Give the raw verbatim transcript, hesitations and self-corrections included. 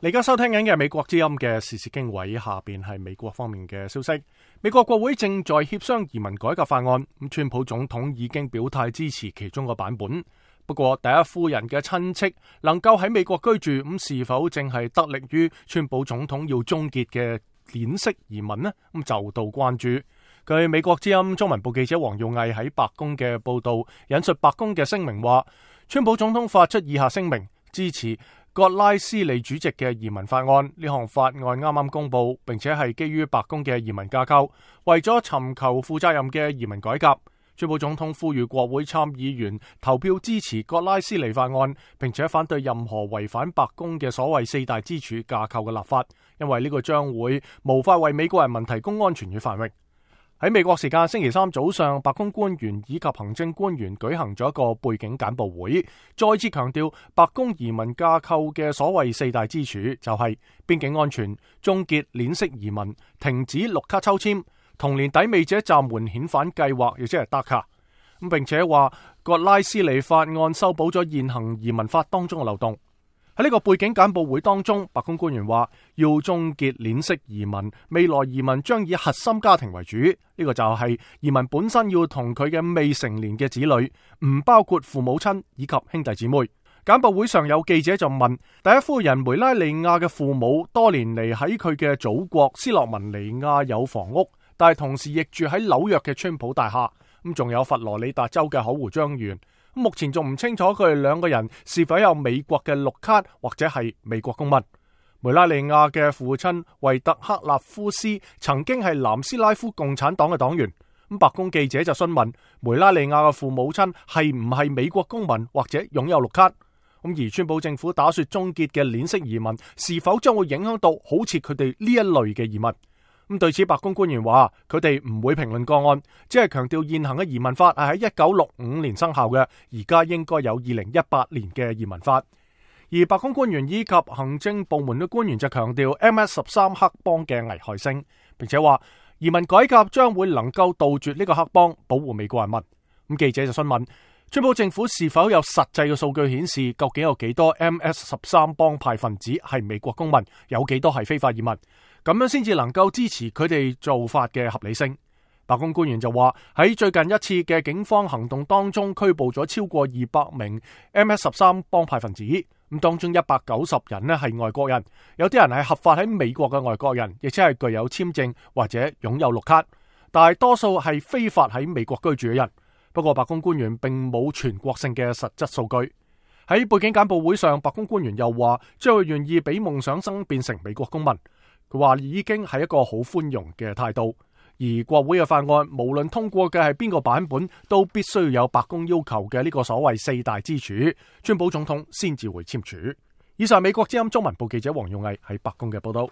你而家收聽緊嘅美國之音嘅時事經緯，下邊係美國方面嘅消息。美國國會正在協商移民改革法案，咁川普總統已經表態支持其中個版本。不過第一夫人嘅親戚能夠喺美國居住，咁是否正係得力於川普總統要終結嘅鏈式移民呢？咁就到關注。據美國之音中文部記者黃耀毅喺白宮嘅報道，引述白宮嘅聲明話，川普總統發出以下聲明，支持葛拉斯利主席嘅移民法案。呢項法案啱啱公布，並且係基於白宮嘅移民架構，為咗尋求負責任嘅移民改革。川普總統呼籲國會參議員投票支持葛拉斯利法案，並且反對任何違反白宮嘅所謂四大支柱架構嘅立法，因為呢個將會無法為美國人民提供安全與繁榮。喺美國時間星期三早上，白宮官員以及行政官員舉行咗一個背景簡報會，再次強調白宮移民架構嘅所謂四大支柱就係邊境安全、終結鏈式移民、停止綠卡抽簽、同年抵美者暫緩遣返計劃，亦即係 D A C A。咁並且話葛拉斯利法案修補咗現行移民法當中嘅漏洞。喺呢個背景簡報會當中，白宮官員話要終結鏈式移民，未來移民將以核心家庭為主。呢、這個就係移民本身要同佢嘅未成年嘅子女，唔包括父母親以及兄弟姊妹。簡報會上有記者就問，第一夫人梅拉尼亞嘅父母多年嚟喺佢嘅祖國斯洛文尼亞有房屋，但係同時亦住喺紐約嘅川普大廈，咁仲有佛羅里達州嘅口湖莊園。目前仲唔清楚佢哋兩個人是否有美國嘅綠卡或者係美國公民。梅拉尼亞嘅父親維特克納夫斯曾經係南斯拉夫共產黨嘅黨員。咁白宮記者就詢問梅拉尼亞嘅父母親係唔係美國公民或者擁有綠卡。咁而川普政府打算終結嘅鏈式移民是否將會影響到好似佢哋呢一類嘅移民？咁對此，白宮官員話佢哋唔會評論個案，只係強調現行嘅移民法係喺一九六五年生效嘅，而家應該有二零一八年嘅移民法。而白宮官員以及行政部門嘅官員就強調 M S 十三黑幫嘅危害性，並且話移民改革將會能夠杜絕呢個黑幫，保護美國人民。咁記者就詢問川普政府是否有實際嘅數據顯示，究竟有幾多 M S 十三幫派分子係美國公民，有幾多係非法移民？咁樣先至能夠支持佢哋做法嘅合理性。白宮官員就話喺最近一次嘅警方行動當中，拘捕咗超過二百名 M S 十三幫派分子，咁當中一百九十人呢係外國人，有啲人係合法喺美國嘅外國人，亦即係具有簽證或者擁有綠卡，但係多數係非法喺美國居住嘅人。不過白宮官員並冇全國性嘅實質數據。喺背景簡報會上，白宮官員又話將會願意俾夢想生變成美國公民。佢話已經係一個好寬容嘅態度，而國會嘅法案無論通過嘅係邊個版本，都必須要有白宮要求嘅呢個所謂四大支柱，川普總統先至會簽署。以上美國之音中文部記者黃勇毅喺白宮嘅報道。